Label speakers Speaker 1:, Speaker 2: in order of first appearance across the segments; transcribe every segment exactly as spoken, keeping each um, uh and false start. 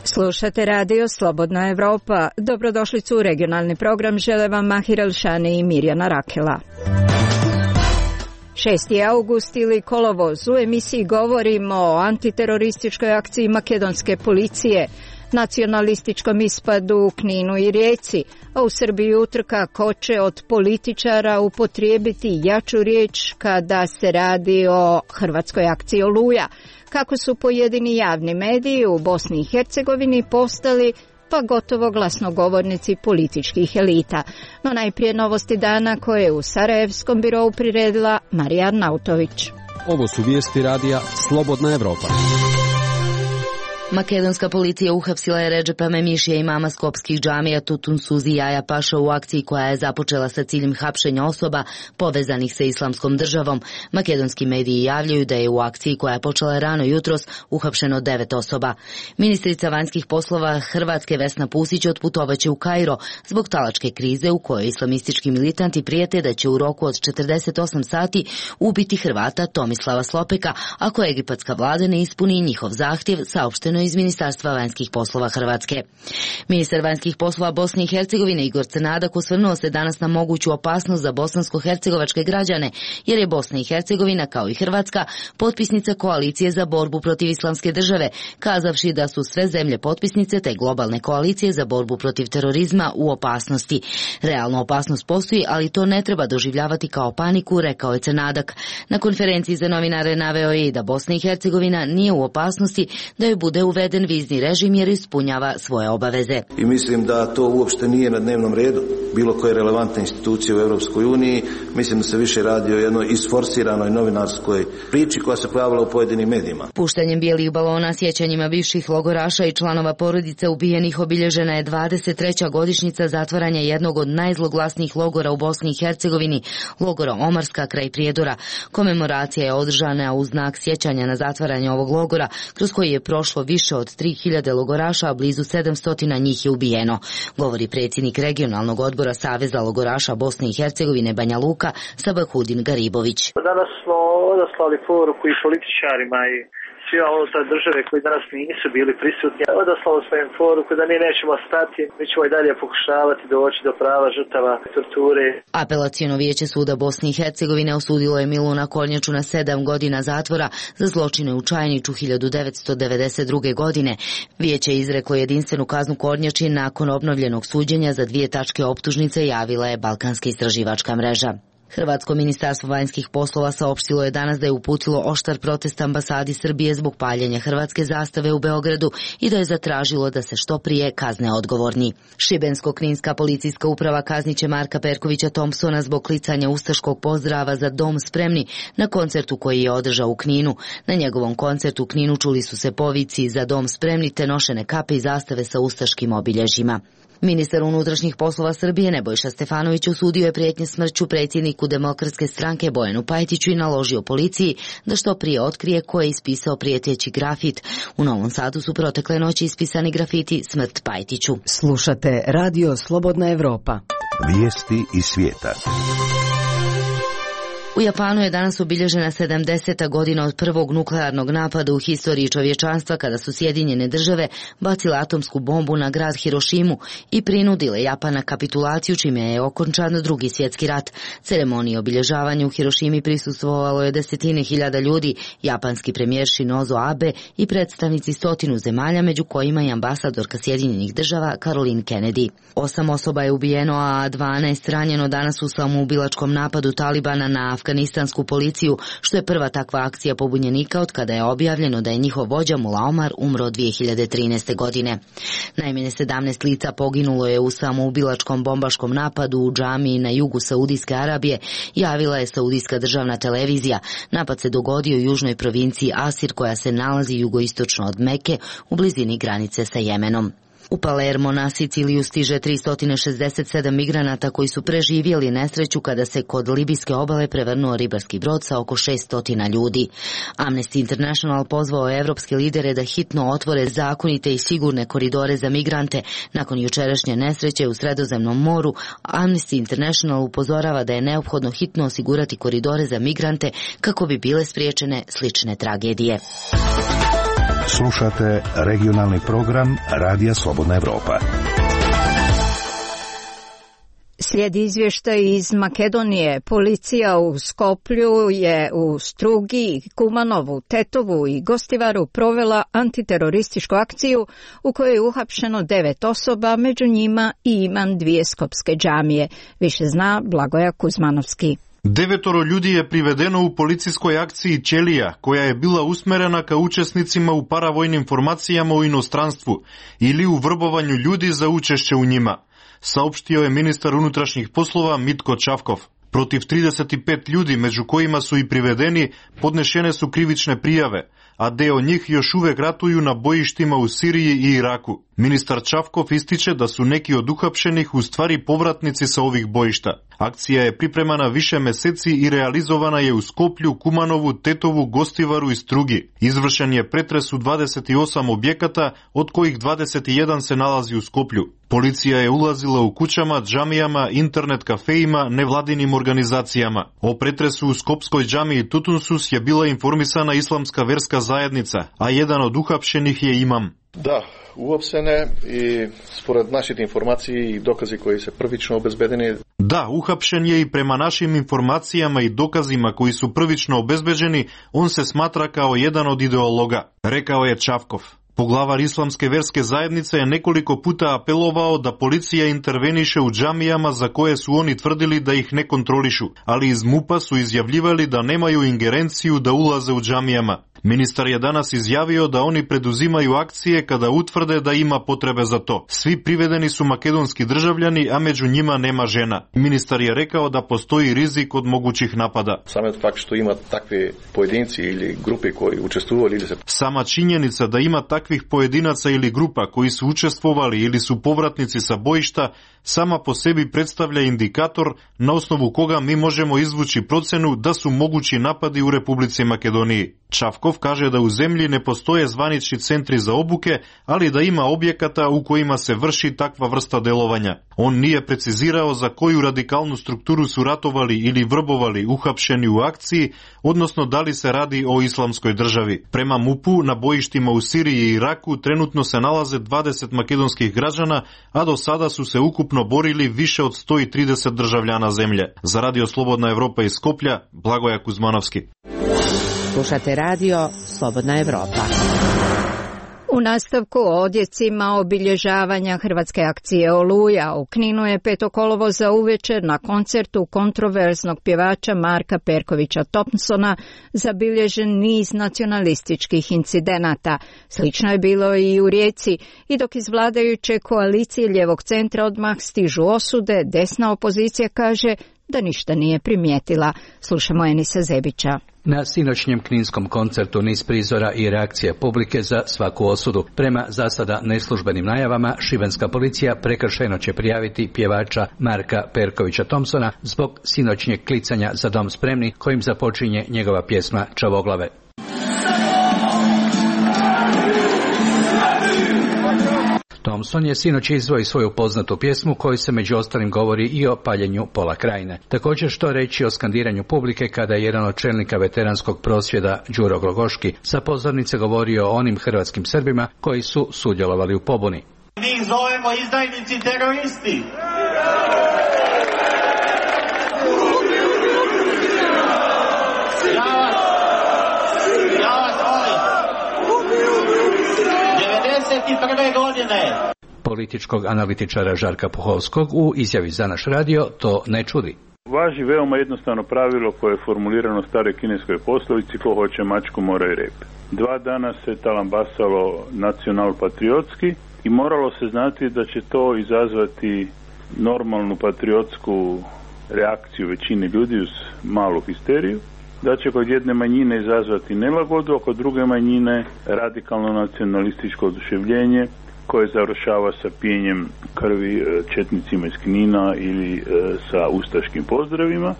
Speaker 1: Slušate radio Slobodna Evropa. Dobrodošlicu u regionalni program, žele vam Mahir Elšani i Mirjana Rakela. šesti august ili kolovoz. U emisiji govorimo o antiterorističkoj akciji makedonske policije, nacionalističkom ispadu u Kninu i Rijeci, a u Srbiji utrka ko će od političara upotrijebiti jaču riječ kada se radi o hrvatskoj akciji Oluja. Kako su pojedini javni mediji u Bosni i Hercegovini postali pa gotovo glasnogovornici političkih elita. No najprije novosti dana koje je u Sarajevskom birou priredila Marija Arnautović.
Speaker 2: Ovo su vijesti radija Slobodna Evropa.
Speaker 3: Makedonska policija uhapsila je Redžepa Memišija, imama skopskih džamija Tutun Suzi Jaja Paša u akciji koja je započela sa ciljem hapšenja osoba povezanih sa islamskom državom. Makedonski mediji javljaju da je u akciji koja je počela rano jutros uhapšeno devet osoba. Ministrica vanjskih poslova Hrvatske Vesna Pusić otputovaće u Kairo zbog talačke krize u kojoj islamistički militanti prijete da će u roku od četrdeset osam sati ubiti Hrvata Tomislava Slopeka ako egipatska vlada ne ispuni njihov zahtjev, saopšteno iz Ministarstva vanjskih poslova Hrvatske. Ministar vanjskih poslova Bosne i Hercegovine Igor Crnadak osvrnuo se danas na moguću opasnost za bosansko-hercegovačke građane, jer je Bosna i Hercegovina, kao i Hrvatska, potpisnica koalicije za borbu protiv islamske države, kazavši da su sve zemlje potpisnice te globalne koalicije za borbu protiv terorizma u opasnosti. Realna opasnost postoji, ali to ne treba doživljavati kao paniku, rekao je Crnadak. Na konferenciji za novinare naveo je i da Bosna i Hercegovina nije u opasnosti da joj bude uveden vizni režim jer ispunjava svoje obaveze.
Speaker 4: I mislim da to uopšte nije na dnevnom redu bilo koje relevantne institucije u Europskoj uniji. Mislim da se više radi o jednoj isforsiranoj novinarskoj priči koja se pojavila u pojedinim medijima.
Speaker 3: Puštanjem bijelih balona sjećanjima bivših logoraša i članova porodice ubijenih obilježena je dvadeset treća godišnjica zatvaranja jednog od najzloglasnijih logora u Bosni i Hercegovini, logora Omarska kraj Prijedora. Komemoracija je održana u znak sjećanja na zatvaranje ovog logora, kroz koji je prošlo više od tri hiljade logoraša, a blizu sedamsto njih je ubijeno, govori predsjednik regionalnog odbora Saveza logoraša Bosne i Hercegovine Banja Luka Sabahudin Garibović.
Speaker 5: Danas smo odaslali poruku i političarima i svima unutar države koji danas nisu bili prisutni. Odaslali smo im poruku da mi nećemo stati, mi ćemo i dalje pokušavati doći do prava žrtava torture.
Speaker 3: Apelaciono vijeće suda Bosne i Hercegovine osudilo je Miluna Kornjaču na sedam godina zatvora za zločine u Čajniću hiljadu devetsto devedeset druge. godine. Vijeće je izreklo jedinstvenu kaznu Kornjači nakon obnovljenog suđenja za dvije tačke optužnice, javila je Balkanska istraživačka mreža. Hrvatsko ministarstvo vanjskih poslova saopštilo je danas da je uputilo oštar protest ambasadi Srbije zbog paljenja hrvatske zastave u Beogradu i da je zatražilo da se što prije kazne odgovorni. Šibensko-kninska policijska uprava kazniće Marka Perkovića Thompsona zbog klicanja ustaškog pozdrava za Dom spremni na koncertu koji je održao u Kninu. Na njegovom koncertu u Kninu čuli su se povici za Dom spremni te nošene kape i zastave sa ustaškim obilježjima. Ministar unutrašnjih poslova Srbije Nebojša Stefanović osudio je prijetnje smrću predsjedniku Demokratske stranke Bojanu Pajtiću i naložio policiji da što prije otkrije ko je ispisao prijeteći grafit. U Novom Sadu su protekle noći ispisani grafiti Smrt Pajtiću.
Speaker 1: Slušate radio Slobodna Evropa.
Speaker 6: Vijesti iz svijeta.
Speaker 3: U Japanu je danas obilježena sedamdeseta godina od prvog nuklearnog napada u historiji čovječanstva, kada su Sjedinjene države bacile atomsku bombu na grad Hirošimu i prinudile Japan na kapitulaciju, čime je okončan drugi svjetski rat. Ceremoniji obilježavanja u Hirošimi prisustvovalo je desetine hiljada ljudi, japanski premijer Shinzo Abe i predstavnici stotinu zemalja, među kojima i ambasadorka Sjedinjenih država Caroline Kennedy. Osam osoba je ubijeno, a dvanaest ranjeno danas u samoubilačkom napadu Talibana na afganistansku policiju, što je prva takva akcija pobunjenika od kada je objavljeno da je njihov vođa Mullah Omar umro dvije hiljade trinaeste. godine. Najmanje sedamnaest lica poginulo je u samoubilačkom bombaškom napadu u džamiji na jugu Saudijske Arabije, javila je Saudijska državna televizija. Napad se dogodio u južnoj provinciji Asir, koja se nalazi jugoistočno od Meke u blizini granice sa Jemenom. U Palermo na Siciliju stiže tristo šezdeset sedam migranata koji su preživjeli nesreću kada se kod libijske obale prevrnuo ribarski brod sa oko šesto ljudi. Amnesty International pozvao je evropske lidere da hitno otvore zakonite i sigurne koridore za migrante. Nakon jučerašnje nesreće u Sredozemnom moru, Amnesty International upozorava da je neophodno hitno osigurati koridore za migrante kako bi bile spriječene slične tragedije.
Speaker 6: Slušate regionalni program Radija Slobodna Evropa.
Speaker 1: Slijedi izvještaj iz Makedonije. Policija u Skoplju je u Strugi, Kumanovu, Tetovu i Gostivaru provela antiterorističku akciju u kojoj je uhapšeno devet osoba, među njima i imam dvije skopske džamije. Više zna Blagoja Kuzmanovski.
Speaker 7: Devetoro ljudi je privedeno u policijskoj akciji Ćelija, koja je bila usmerena ka učesnicima u paravojnim formacijama u inostranstvu ili u vrbovanju ljudi za učešće u njima, saopštio je ministar unutrašnjih poslova Mitko Čavkov. Protiv trideset pet ljudi, među kojima su i privedeni, podnešene su krivične prijave, a deo njih još uvek ratuju na bojištima u Siriji i Iraku. Ministar Čavkov ističe da su neki od uhapšenih u stvari povratnici sa ovih bojišta. Akcija je pripremana više meseci i realizovana je u Skoplju, Kumanovu, Tetovu, Gostivaru i Strugi. Izvršen je pretres u dvadeset osam objekata, od kojih dvadeset jedan se nalazi u Skoplju. Policija je ulazila u kućama, džamijama, internet kafejima, nevladinim organizacijama. O pretresu u skopskoj džamiji Tutunsus je bila informisana islamska verska zajednica, a jedan od uhapšenih je imam.
Speaker 8: Da, uopsene i spored naših informaciji i dokazi koji se prvično obezbedeni.
Speaker 7: Da, uhapšen je i prema našim informacijama i dokazima koji su prvično obezbeđeni, on se smatra kao jedan od ideologa, rekao je Čavkov. Poglavar islamske verske zajednice je nekoliko puta apelovao da policija interveniše u džamijama za koje su oni tvrdili da ih ne kontrolišu, ali iz MUP-a su izjavljivali da nemaju ingerenciju da ulaze u džamijama. Ministar je danas izjavio da oni preduzimaju akcije kada utvrde da ima potrebe za to. Svi privedeni su makedonski državljani, a među njima nema žena. Ministar je rekao da postoji rizik od mogućih napada.
Speaker 8: Samo fakt što ima takve pojedinci ili grupe koji učestvovali ili se...
Speaker 7: Sama činjenica da ima takvih pojedinaca ili grupa koji su učestvovali ili su povratnici sa bojišta sama po sebi predstavlja indikator na osnovu koga mi možemo izvući procenu da su mogući napadi u Republici Makedoniji. Čavkov kaže da u zemlji ne postoje zvanični centri za obuke, ali da ima objekata u kojima se vrši takva vrsta delovanja. On nije precizirao za koju radikalnu strukturu su ratovali ili vrbovali uhapšeni u akciji, odnosno da li se radi o islamskoj državi. Prema MUP-u na bojištima u Siriji i Iraku trenutno se nalaze dvadeset makedonskih građana, a do sada su se ukupno borili više od sto trideset državljana zemlje. Za Radio Slobodna Evropa iz Skoplja, Blagoja Kuzmanovski.
Speaker 9: Slušate radio Slobodna Evropa.
Speaker 1: U nastavku o odjecima obilježavanja hrvatske akcije Oluja u Kninu je petog kolovoza uvečer na koncertu kontroverznog pjevača Marka Perkovića Thompsona zabilježen niz nacionalističkih incidenata. Slično je bilo i u Rijeci, i dok iz vladajuće koalicije lijevog centra odmah stižu osude, desna opozicija kaže da ništa nije primijetila. Slušamo Enisa Zebića.
Speaker 10: Na sinoćnjem kninskom koncertu niz prizora i reakcija publike za svaku osudu. Prema za sada neslužbenim najavama, šibenska policija prekršajno će prijaviti pjevača Marka Perkovića Thompsona zbog sinoćnjeg klicanja za dom spremni kojim započinje njegova pjesma Čavoglave. Thompson je sinoć izveo svoju poznatu pjesmu koju se među ostalim govori i o paljenju pola krajine. Također što reći o skandiranju publike kada je jedan od čelnika veteranskog prosvjeda Đuro Glogoški sa pozornice govorio o onim hrvatskim Srbima koji su sudjelovali u pobuni.
Speaker 11: Mi ih zovemo izdajnici teroristi. Ja vas, ja vas molim. devedeset prve godine.
Speaker 10: Političkog analitičara Žarka Puhovskog u izjavi za naš radio to ne čudi.
Speaker 12: Važi veoma jednostavno pravilo koje je formulirano u staroj kineskoj poslovici: ko hoće mačku mora i rep. Dva dana se talambasalo nacional-patriotski i moralo se znati da će to izazvati normalnu patriotsku reakciju većine ljudi uz malu histeriju, da će kod jedne manjine izazvati nelagodu, a kod druge manjine radikalno nacionalističko oduševljenje koje završava sa pijenjem krvi četnicima iz Knina ili sa ustaškim pozdravima.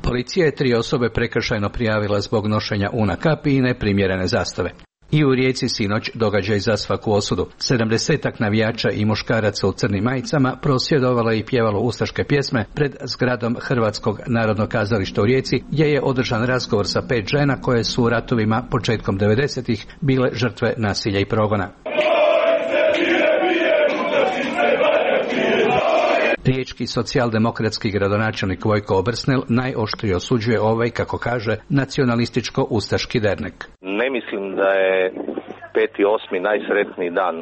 Speaker 10: Policija je tri osobe prekršajno prijavila zbog nošenja una kapi i neprimjerene zastave. I u Rijeci sinoć događaj za svaku osudu. Sedamdesetak navijača i muškaraca u crnim majicama prosvjedovalo i pjevalo ustaške pjesme pred zgradom Hrvatskog narodnog kazališta u Rijeci, gdje je održan razgovor sa pet žena koje su u ratovima početkom devedesetih bile žrtve nasilja i progona. Riječki socijaldemokratski gradonačelnik Vojko Obersnel najoštrije osuđuje ovaj, kako kaže, nacionalističko-ustaški dernek.
Speaker 13: Ne mislim da je peti osmi najsretniji dan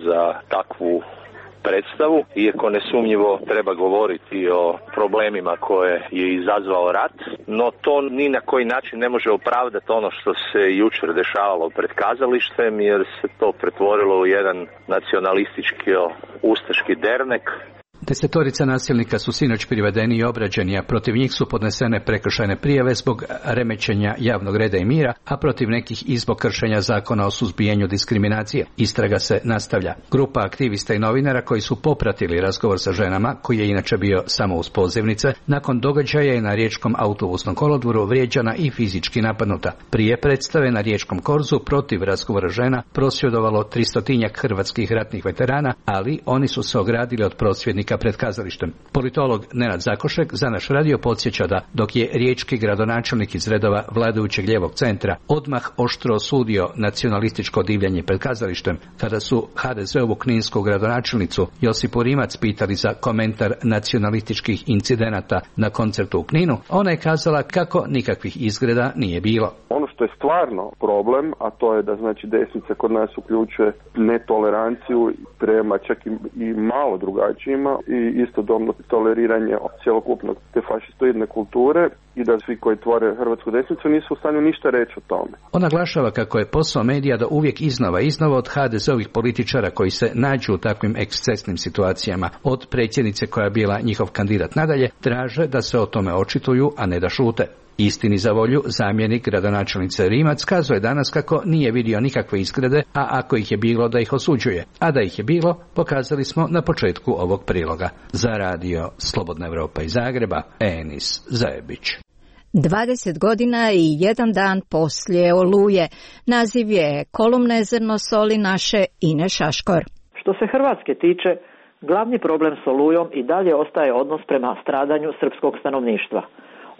Speaker 13: za takvu predstavu, iako nesumnjivo treba govoriti o problemima koje je izazvao rat, no to ni na koji način ne može opravdati ono što se jučer dešavalo pred kazalištem, jer se to pretvorilo u jedan nacionalistički-ustaški dernek.
Speaker 10: Desetorica nasilnika su sinoć privedeni i obrađeni, a protiv njih su podnesene prekršajne prijave zbog remećenja javnog reda i mira, a protiv nekih i zbog kršenja zakona o suzbijanju diskriminacije. Istraga se nastavlja. Grupa aktivista i novinara koji su popratili razgovor sa ženama, koji je inače bio samo uz pozivnice, nakon događaja je na riječkom autobusnom kolodvoru vrijeđana i fizički napadnuta. Prije predstave na riječkom korzu protiv razgovora žena prosvjedovalo tristotinjak hrvatskih ratnih veterana, ali oni su se ogradili od prosvjednika pred kazalištem. Politolog Nenad Zakošek za naš radio podsjeća da dok je riječki gradonačelnik iz redova vladajućeg lijevog centra odmah oštro osudio nacionalističko divljanje pred kazalištem, kada su ha de ze ovu kninsku gradonačelnicu Josipu Rimac pitali za komentar nacionalističkih incidenata na koncertu u Kninu, ona je kazala kako nikakvih izgreda nije bilo.
Speaker 14: Ono što je stvarno problem, a to je da znači desnica kod nas uključuje netoleranciju prema čak i, i malo drugačijima i istodobno toleriranje cjelokupnog te fašistoidne kulture i da svi koji tvore hrvatsku desnicu nisu u stanju ništa reći o tome.
Speaker 10: On naglašava kako je posao medija da uvijek iznova iznova od ha de ze ovih političara koji se nađu u takvim ekscesnim situacijama, od predsjednice koja je bila njihov kandidat nadalje, traže da se o tome očituju, a ne da šute. Istini za volju, zamjenik gradonačelnice Rimac kazuje danas kako nije vidio nikakve izgrede, a ako ih je bilo da ih osuđuje. A da ih je bilo, pokazali smo na početku ovog priloga. Za radio Slobodna Evropa iz Zagreba, Enis Zajebić.
Speaker 1: dvadeset godina i jedan dan poslije Oluje. Naziv je kolumne Zrno soli naše Ine Šaškor.
Speaker 15: Što se Hrvatske tiče, glavni problem s Olujom i dalje ostaje odnos prema stradanju srpskog stanovništva.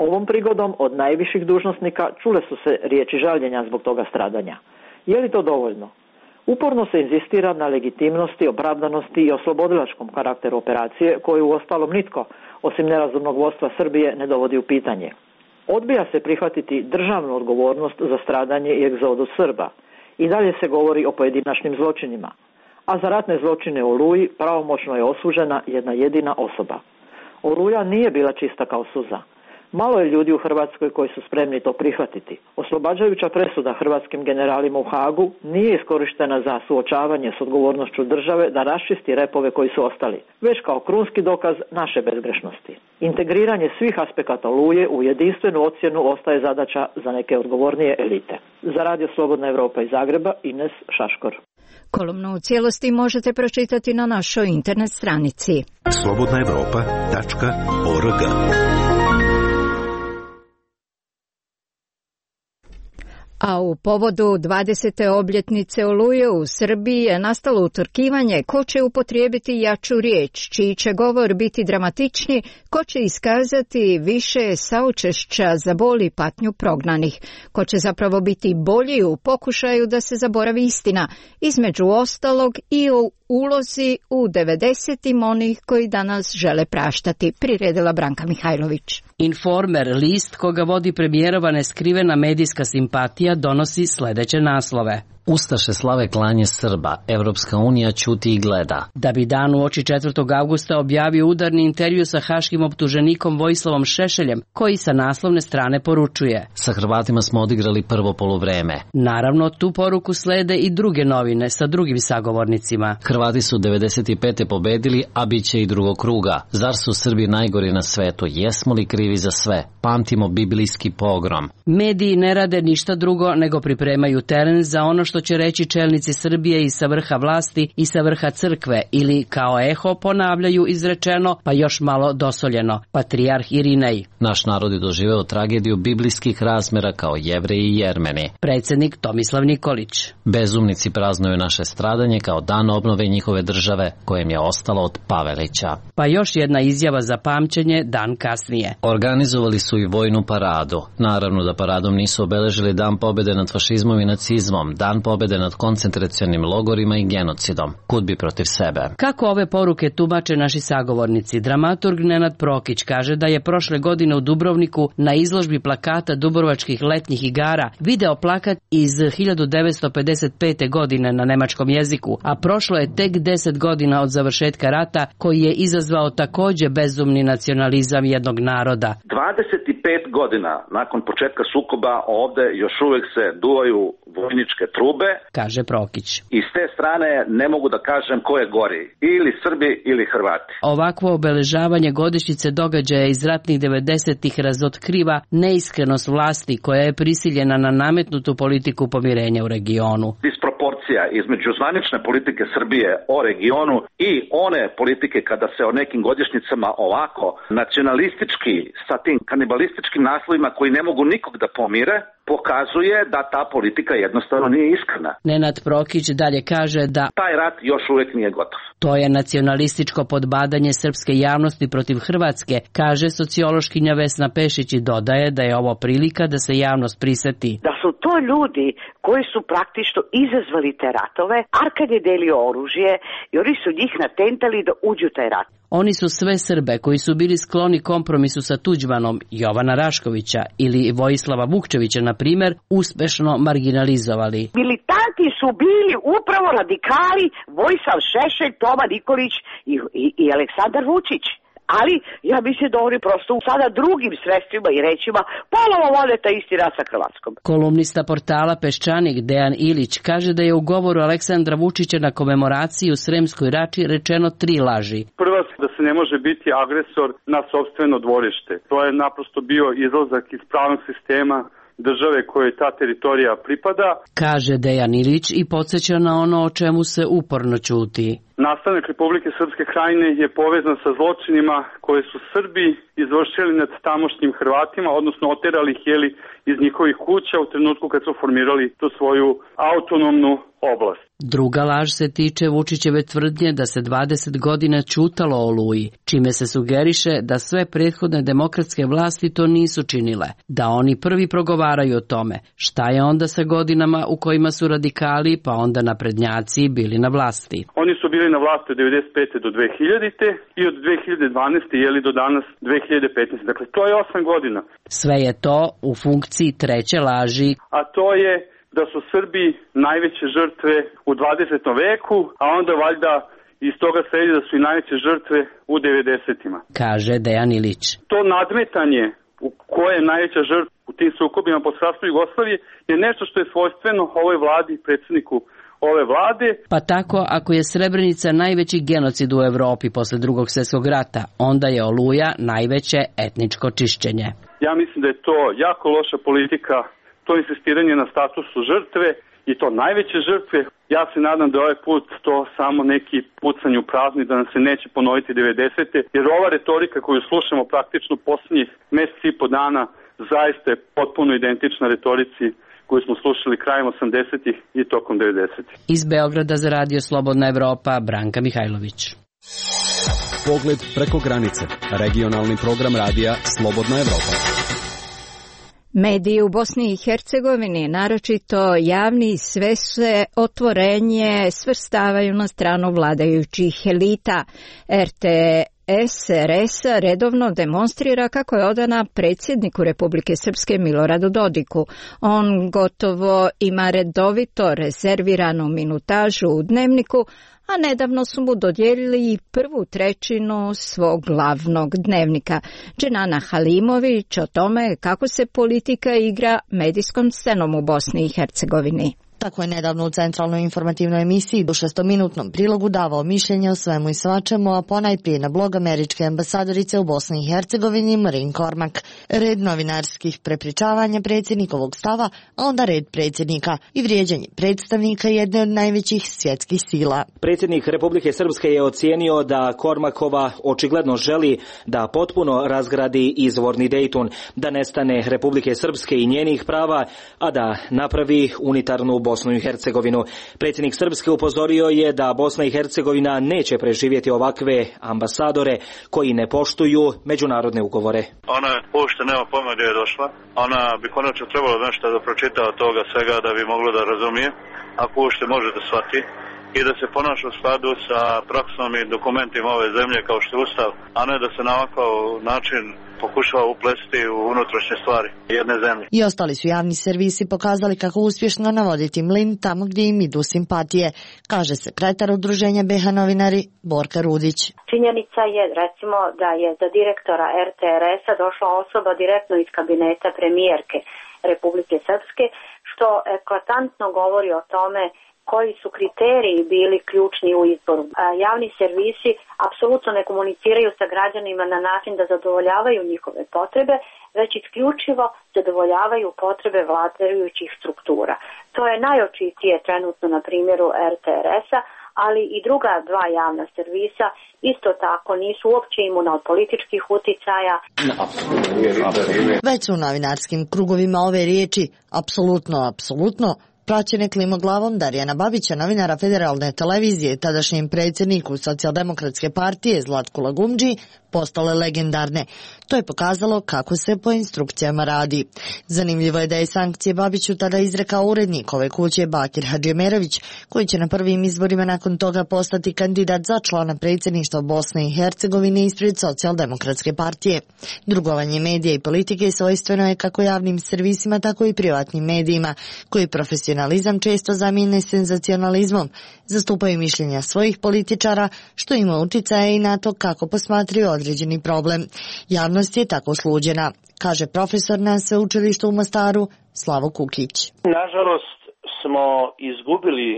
Speaker 15: Ovom prigodom od najviših dužnosnika čule su se riječi žaljenja zbog toga stradanja. Je li to dovoljno? Uporno se inzistira na legitimnosti, opravdanosti i oslobodilačkom karakteru operacije, koju uostalom nitko, osim nerazumnog vodstva Srbije, ne dovodi u pitanje. Odbija se prihvatiti državnu odgovornost za stradanje i egzodus Srba. I dalje se govori o pojedinačnim zločinima. A za ratne zločine u Oluji pravomoćno je osuđena jedna jedina osoba. Oluja nije bila čista kao suza. Malo je ljudi u Hrvatskoj koji su spremni to prihvatiti. Oslobađajuća presuda hrvatskim generalima u Hagu nije iskorištena za suočavanje s odgovornošću države da raščisti repove koji su ostali, već kao krunski dokaz naše bezgrešnosti. Integriranje svih aspekata Oluje u jedinstvenu ocjenu ostaje zadaća za neke odgovornije elite. Za radio Slobodna Evropa iz Zagreba, Ines Šaškor.
Speaker 1: Kolumnu u cijelosti možete pročitati na našoj internet stranici
Speaker 6: slobodna evropa tačka org.
Speaker 1: A u povodu dvadesete obljetnice Oluje u Srbiji je nastalo utrkivanje ko će upotrijebiti jaču riječ, čiji će govor biti dramatičniji, ko će iskazati više saučešća za bol i patnju prognanih, ko će zapravo biti bolji u pokušaju da se zaboravi istina, između ostalog i u ulozi u devedesetim onih koji danas žele praštati, priredila Branka Mihajlović.
Speaker 16: Informer, list koga vodi premijerova neskrivena medijska simpatija, donosi sljedeće naslove.
Speaker 17: Ustaše slave klanje Srba, Evropska unija ćuti i gleda.
Speaker 16: Da bi dan uoči četvrtog avgusta objavio udarni intervju sa haškim optuženikom Vojislavom Šešeljem, koji sa naslovne strane poručuje:
Speaker 17: Sa Hrvatima smo odigrali prvo poluvreme.
Speaker 16: Naravno, tu poruku slede i druge novine sa drugim sagovornicima.
Speaker 17: Hrvati su devedeset pete pobedili, a bit će i drugog kruga. Zar su Srbi najgori na svetu? Jesmo li krivi za sve? Pamtimo biblijski pogrom.
Speaker 16: Mediji ne rade ništa drugo nego pripremaju teren za ono što što će reći čelnici Srbije i sa vrha vlasti i sa vrha crkve, ili kao eho ponavljaju izrečeno, pa još malo dosoljeno, patrijarh Irinej.
Speaker 17: Naš narod je doživeo tragediju biblijskih razmera kao Jevreji i Jermeni.
Speaker 16: Predsednik Tomislav Nikolić.
Speaker 17: Bezumnici praznuju naše stradanje kao dan obnove njihove države, kojem je ostalo od Pavelića.
Speaker 16: Pa još jedna izjava za pamćenje dan kasnije.
Speaker 17: Organizovali su i vojnu paradu. Naravno da paradom nisu obeležili dan pobede nad fašizmom i nacizmom, dan pobede nad koncentracionim logorima i genocidom. Kud bi protiv sebe.
Speaker 16: Kako ove poruke tumače naši sagovornici? Dramaturg Nenad Prokić kaže da je prošle godine u Dubrovniku na izložbi plakata Dubrovačkih letnjih igara video plakat iz hiljadu devetsto pedeset pete. godine na nemačkom jeziku, a prošlo je tek deset godina od završetka rata koji je izazvao takođe bezumni nacionalizam jednog naroda.
Speaker 18: dvadeset pet godina nakon početka sukoba ovde još uvek se duvaju vojničke trube,
Speaker 16: kaže Prokić.
Speaker 18: I s te strane ne mogu da kažem ko je gori, ili Srbi ili Hrvati.
Speaker 16: Ovakvo obeležavanje godišnjice događaja iz ratnih devedesetih razotkriva neiskrenost vlasti koja je prisiljena na nametnutu politiku pomirenja u regionu.
Speaker 18: Disproporcija između zvanične politike Srbije o regionu i one politike kada se o nekim godišnjicama ovako nacionalistički sa tim kanibalističkim naslovima koji ne mogu nikog da pomire, pokazuje da ta politika jednostavno nije iskrena.
Speaker 16: Nenad Prokić dalje kaže da
Speaker 18: taj rat još uvek nije gotov.
Speaker 16: To je nacionalističko podbadanje srpske javnosti protiv Hrvatske, kaže sociološkinja Vesna Pešić i dodaje da je ovo prilika da se javnost priseti.
Speaker 19: Da su to ljudi koji su praktično izazvali te ratove, Arkad je delio oružje i oni su njih natentali da uđu u taj rat.
Speaker 16: Oni su sve Srbe koji su bili skloni kompromisu sa Tuđmanom, Jovana Raškovića ili Vojislava Vukčevića, na primjer, uspešno marginalizovali.
Speaker 19: Militanti su bili upravo radikali Vojislav Šešelj, Toma Nikolić i, i, i Aleksandar Vučić. Ali ja mislim da oni prosto sada drugim sredstvima i rečima ponovo vode taj isti rat sa Hrvatskom.
Speaker 16: Kolumnista portala Peščanik Dejan Ilić kaže da je u govoru Aleksandra Vučića na komemoraciji u Sremskoj Rači rečeno tri laži.
Speaker 20: Prva, da se ne može biti agresor na sopstveno dvorište. To je naprosto bio izlazak iz pravnog sistema države koje ta teritorija pripada,
Speaker 16: kaže Dejan Ilić i podsjeća na ono o čemu se uporno ćuti.
Speaker 20: Nastanak Republike Srpske Krajine je povezan sa zločinima koje su Srbi izvršili nad tamošnjim Hrvatima, odnosno oterali ih jeli iz njihovih kuća u trenutku kad su formirali tu svoju autonomnu oblast.
Speaker 16: Druga laž se tiče Vučićeve tvrdnje da se dvadeset godina ćutalo o Oluji, čime se sugeriše da sve prethodne demokratske vlasti to nisu činile, da oni prvi progovaraju o tome. Šta je onda sa godinama u kojima su radikali pa onda naprednjaci bili na vlasti?
Speaker 20: Oni su bili na vlasti od devedeset pete do dve hiljadite. i od dve hiljade dvanaeste jeli do danas dve hiljade petnaeste. Dakle, to je osam godina.
Speaker 16: Sve je to u funkciji treće laži.
Speaker 20: A to je da su Srbi najveće žrtve u dvadesetom veku, a onda valjda iz toga sledi da su i najveće žrtve u devedesetima.
Speaker 16: Kaže Dejan Ilić.
Speaker 20: To nadmetanje u koje je najveća žrtva u tim sukobima pod sastavom Jugoslavije je nešto što je svojstveno ovoj vladi i predsjedniku ove vlade.
Speaker 16: Pa tako, ako je Srebrenica najveći genocid u Evropi posle drugog svjetskog rata, onda je Oluja najveće etničko čišćenje.
Speaker 20: Ja mislim da je to jako loša politika, to insistiranje na statusu žrtve i to najveće žrtve. Ja se nadam da je ovaj put to samo neki pucanj u prazni, da nam se neće ponoviti devedesete. Jer ova retorika koju slušamo praktično posljednjih mjeseci i po dana zaista je potpuno identična retorici koju smo slušali krajem osamdesetih i tokom devedesetih.
Speaker 16: Iz Beograda za Radio Slobodna Evropa, Branka Mihajlović.
Speaker 2: Pogled preko granice. Regionalni program radija Slobodna Evropa.
Speaker 1: Mediji u Bosni i Hercegovini, naročito javni, sve se otvorenje svrstavaju na stranu vladajućih elita. R T S R S redovno demonstrira kako je odana predsjedniku Republike Srpske Miloradu Dodiku. On gotovo ima redovito rezerviranu minutažu u Dnevniku, a nedavno su mu dodijelili prvu trećinu svog glavnog dnevnika. Dženana Halimović o tome kako se politika igra medijskom scenom u Bosni i Hercegovini.
Speaker 21: Tako je nedavno u centralnoj informativnoj emisiji u šestominutnom prilogu davao mišljenje o svemu i svačemu, a ponajprije na blog američke ambasadorice u Bosni i Hercegovini Marin Kormak. Red novinarskih prepričavanja predsjednikovog stava, a onda red predsjednika i vrijeđanje predstavnika jedne od najvećih svjetskih sila.
Speaker 22: Predsjednik Republike Srpske je ocijenio da Kormakova očigledno želi da potpuno razgradi izvorni Dejton, da nestane Republike Srpske i njenih prava, a da napravi unitarnu Bosnu i Hercegovinu. Predsjednik Srpske upozorio je da Bosna i Hercegovina neće preživjeti ovakve ambasadore koji ne poštuju međunarodne ugovore.
Speaker 23: Ona uopšte nema pojma gdje je došla. Ona bi konačno trebalo nešto da pročita od toga svega da bi moglo da razumije, ako uopšte može da shvati, i da se ponaša u skladu sa praksom i dokumentima ove zemlje kao što je Ustav, a ne da se na ovakav način pokušava uplesti u unutrašnje stvari jedne zemlje.
Speaker 21: I ostali su javni servisi pokazali kako uspješno navoditi mlin tamo gdje im idu simpatije, kaže sekretar udruženja B H novinari Borka Rudić.
Speaker 24: Činjenica je recimo da je za direktora R T R S-a došla osoba direktno iz kabineta premijerke Republike Srpske, što eklatantno govori o tome koji su kriteriji bili ključni u izboru. Javni servisi apsolutno ne komuniciraju sa građanima na način da zadovoljavaju njihove potrebe, već isključivo zadovoljavaju potrebe vladajućih struktura. To je najočitije trenutno na primjeru R T R S-a, ali i druga dva javna servisa isto tako nisu uopće imuna od političkih uticaja.
Speaker 21: Već su u novinarskim krugovima ove riječi apsolutno, apsolutno praćene klimoglavom Darijana Babića, novinara Federalne televizije, tadašnjem predsjedniku Socijaldemokratske partije Zlatku Lagumdži, postale legendarne. To je pokazalo kako se po instrukcijama radi. Zanimljivo je da je sankcije Babiću tada izrekao urednik ove kuće Bakir Hadžiemerović, koji će na prvim izborima nakon toga postati kandidat za člana predsjedništva Bosne i Hercegovine ispred Socijaldemokratske partije. Drugovanje medija i politike svojstveno je kako javnim servisima, tako i privatnim medijima, koji profesionalizam često zamijene senzacionalizmom, zastupaju mišljenja svojih političara, što ima uticaje i na to kako posmatraju određeni problem. Javnost je tako sluđena, kaže profesor na sveučilištu u Mostaru Slavo Kukić.
Speaker 25: Nažalost smo izgubili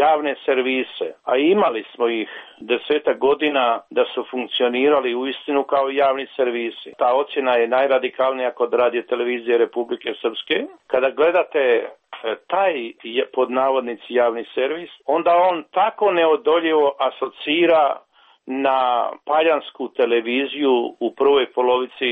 Speaker 25: javne servise, a imali smo ih desetak godina da su funkcionirali uistinu kao javni servisi. Ta ocjena je najradikalnija kod Radio televizije Republike Srpske. Kada gledate taj pod navodnici javni servis, onda on tako neodoljivo asocira na paljansku televiziju u prvoj polovici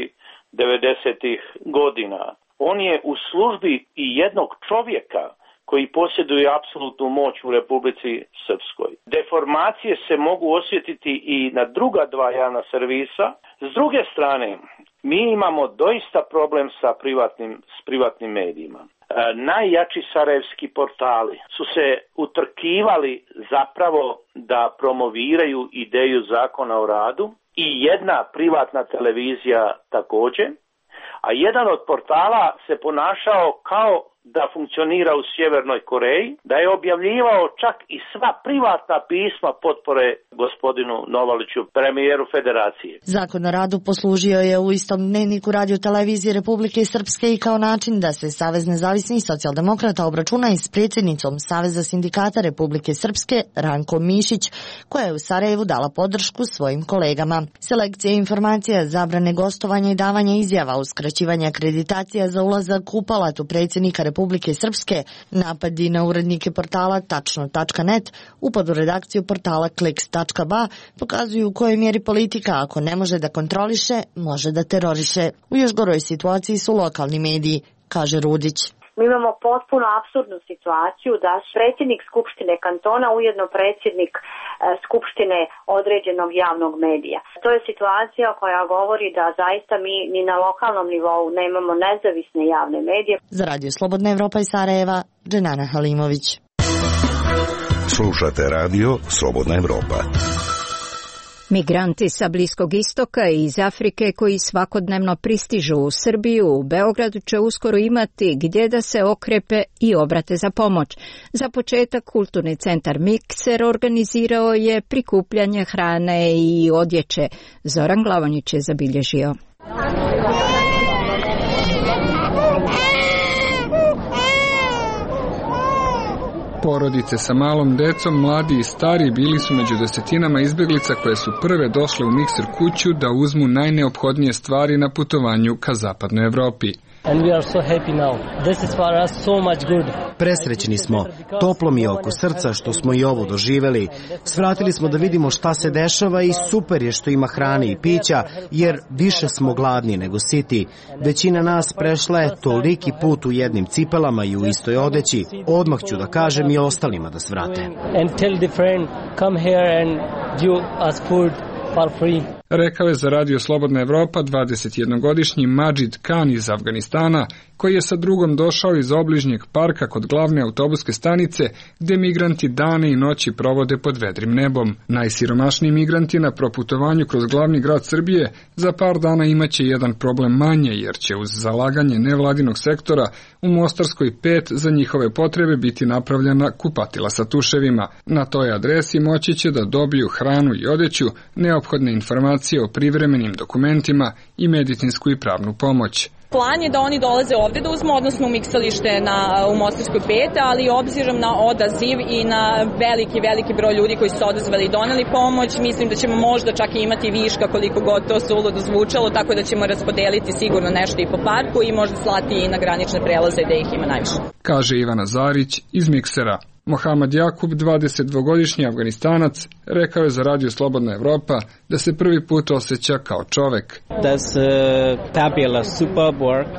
Speaker 25: devedesetih godina. On je u službi i jednog čovjeka koji posjeduje apsolutnu moć u Republici Srpskoj. Deformacije se mogu osjetiti i na druga dva javna servisa. S druge strane, mi imamo doista problem sa privatnim, s privatnim medijima. E, najjači sarajevski portali su se utrkivali zapravo da promoviraju ideju zakona o radu i jedna privatna televizija također, a jedan od portala se ponašao kao da funkcionira u Sjevernoj Koreji, da je objavljivao čak i sva privatna pisma potpore gospodinu Novaliću, premijeru Federacije.
Speaker 21: Zakon o radu poslužio je u istom dnevniku Radio televizije Republike Srpske i kao način da se Savez nezavisnih socijaldemokrata obračuna i s predsjednicom Saveza sindikata Republike Srpske Rankom Mišić, koja je u Sarajevu dala podršku svojim kolegama. Selekcija informacija, zabrane gostovanja i davanja izjava, uskraćivanje akreditacija za ulazak u palatu predsjednika Republike Srpske, napadi na urednike portala tačno tačka net, upad u redakciju portala kliks tačka ba pokazuju u kojoj mjeri politika, ako ne može da kontroliše, može da teroriše. U još goroj situaciji su lokalni mediji, kaže Rudić.
Speaker 24: Mi imamo potpuno apsurdnu situaciju da predsjednik Skupštine kantona ujedno predsjednik e, Skupštine određenog javnog medija. To je situacija koja govori da zaista mi ni na lokalnom nivou nemamo nezavisne javne medije.
Speaker 21: Za Radio Slobodna Evropa iz Sarajeva, Dženana Halimović.
Speaker 6: Slušate Radio Slobodna Evropa.
Speaker 1: Migranti sa Bliskog istoka i iz Afrike koji svakodnevno pristižu u Srbiju, u Beogradu će uskoro imati gdje da se okrepe i obrate za pomoć. Za početak Kulturni centar Mikser organizirao je prikupljanje hrane i odjeće. Zoran Glavonjić je zabilježio.
Speaker 3: Porodice sa malom decom, mladi i stari bili su među desetinama izbjeglica koje su prve došle u Mikser kuću da uzmu najneophodnije stvari na putovanju ka zapadnoj Evropi.
Speaker 4: And we are so happy now. This is for us so much good.
Speaker 5: Presrećni smo, toplo mi je oko srca što smo i ovo doživjeli. Svratili smo da vidimo šta se dešava i super je što ima hrane i pića, jer više smo gladni nego siti. Većina nas prešla je toliki put u jednim cipelama i u istoj odeći. Odmah ću da kažem i ostalima da svrate.
Speaker 4: And tell the friend, come here and give us food for free.
Speaker 3: Rekao je za Radio Slobodna Evropa dvadesetjednogodišnji Majid Khan iz Afganistana, koji je sa drugom došao iz obližnjeg parka kod glavne autobuske stanice, gde migranti dane i noći provode pod vedrim nebom. Najsiromašniji migranti na proputovanju kroz glavni grad Srbije za par dana imaće jedan problem manje, jer će uz zalaganje nevladinog sektora u Mostarskoj pet za njihove potrebe biti napravljena kupatila sa tuševima. Na toj adresi moći će da dobiju hranu i odeću, neophodne informacije o privremenim dokumentima i medicinsku i pravnu pomoć.
Speaker 7: Plan je da oni dolaze ovde da uzmu, odnosno u miksalište na, u Mostarskoj pet, ali obzirom na odaziv i na veliki, veliki broj ljudi koji su se odazvali i doneli pomoć, mislim da ćemo možda čak i imati viška koliko god to suludo zvučalo, tako da ćemo raspodeliti sigurno nešto i po parku i možda slati i na granične prelaze gde ih ima najviše.
Speaker 3: Kaže Ivana Zarić iz Miksera. Mohamed Jakub, dvadesetdvogodišnji Afganistanac, rekao je za Radio Slobodna Evropa da se prvi put osjeća kao čovek.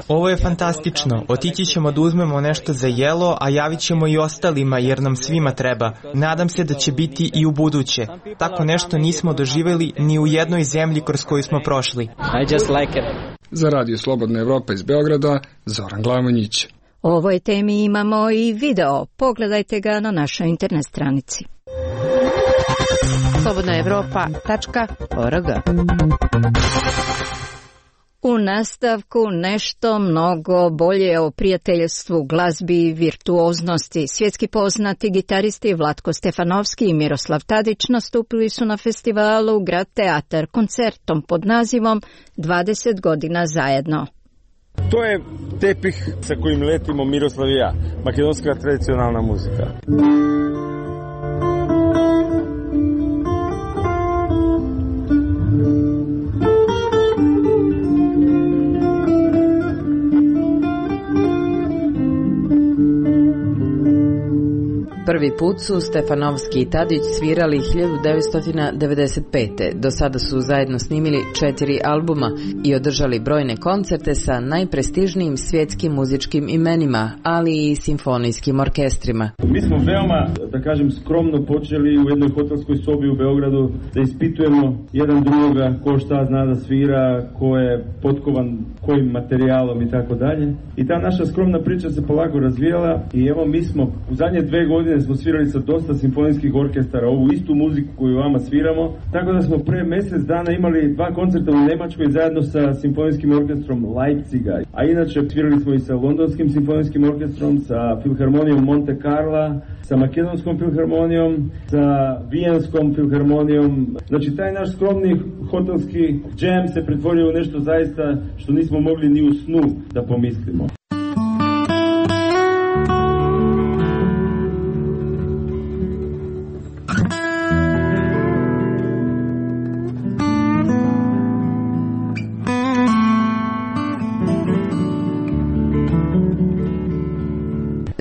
Speaker 8: Ovo je fantastično. Otići ćemo da uzmemo nešto za jelo, a javit ćemo i ostalima jer nam svima treba. Nadam se da će biti i u buduće. Tako nešto nismo doživjeli ni u jednoj zemlji kroz koju smo prošli.
Speaker 7: I just like it.
Speaker 3: Za Radio Slobodna Evropa iz Beograda, Zoran Glamonjić.
Speaker 1: O ovoj temi imamo i video. Pogledajte ga na našoj internet stranici.
Speaker 9: slobodna evropa tačka org.
Speaker 1: U nastavku nešto mnogo bolje o prijateljstvu, glazbi i virtuoznosti. Svjetski poznati gitaristi Vlatko Stefanovski i Miroslav Tadić nastupili su na festivalu Grad Teatar koncertom pod nazivom dvadeset godina zajedno.
Speaker 26: To je tepih sa kojim letimo Miroslav i ja, makedonska tradicionalna muzika.
Speaker 9: Prvi put su Stefanovski i Tadić svirali hiljadu devetsto devedeset pete. Do sada su zajedno snimili četiri albuma i održali brojne koncerte sa najprestižnijim svjetskim muzičkim imenima, ali i simfonijskim orkestrima.
Speaker 26: Mi smo veoma, da kažem, skromno počeli u jednoj hotelskoj sobi u Beogradu da ispitujemo jedan drugoga ko šta zna da svira, ko je potkovan kojim materijalom i tako dalje. I ta naša skromna priča se polako razvijala i evo mi smo u zadnje dve godine smo svirali sa dosta simfonijskih orkestara ovu istu muziku koju vama sviramo, tako da smo pre mjesec dana imali dva koncerta u Nemačkoj zajedno sa simfonijskim orkestrom Leipziga. A inače svirali smo i sa londonskim simfonijskim orkestrom, sa Filharmonijom Monte Carla, sa Makedonskom filharmonijom, sa Vijenskom filharmonijom. Znači taj naš skromni hotelski džem se pretvorio u nešto zaista što nismo mogli ni u snu da pomislimo.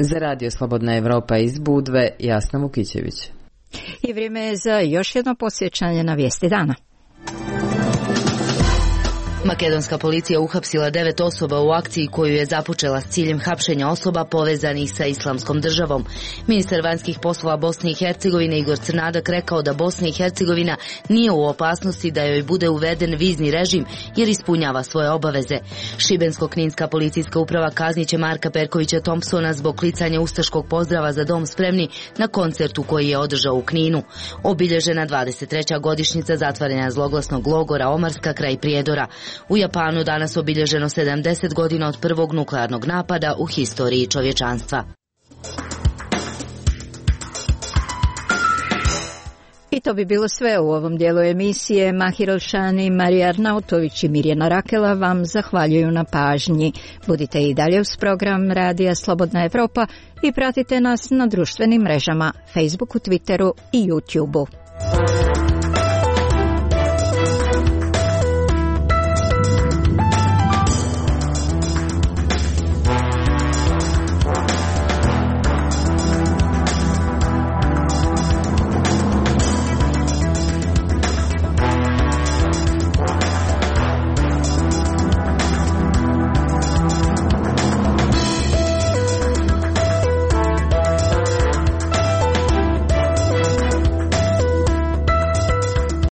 Speaker 9: Za Radio Slobodna Evropa iz Budve, Jasna Vukićević.
Speaker 1: I vrijeme je za još jedno posjećanje na vijesti dana.
Speaker 27: Makedonska policija uhapsila devet osoba u akciji koju je započela s ciljem hapšenja osoba povezanih sa Islamskom državom. Ministar vanjskih poslova Bosne i Hercegovine Igor Crnadak rekao da Bosna i Hercegovina nije u opasnosti da joj bude uveden vizni režim jer ispunjava svoje obaveze. Šibensko-kninska policijska uprava kazniće Marka Perkovića Thompsona zbog klicanja ustaškog pozdrava za dom spremni na koncertu koji je održao u Kninu. Obilježena dvadeset treća godišnjica zatvaranja zloglasnog logora Omarska kraj Prijedora. U Japanu danas obilježeno sedamdeset godina od prvog nuklearnog napada u historiji čovječanstva.
Speaker 1: I to bi bilo sve u ovom dijelu emisije. Mahir Olšani, Marija Arnautović i Mirjana Rakela vam zahvaljuju na pažnji. Budite i dalje uz program Radija Slobodna Evropa i pratite nas na društvenim mrežama, Facebooku, Twitteru i YouTubeu.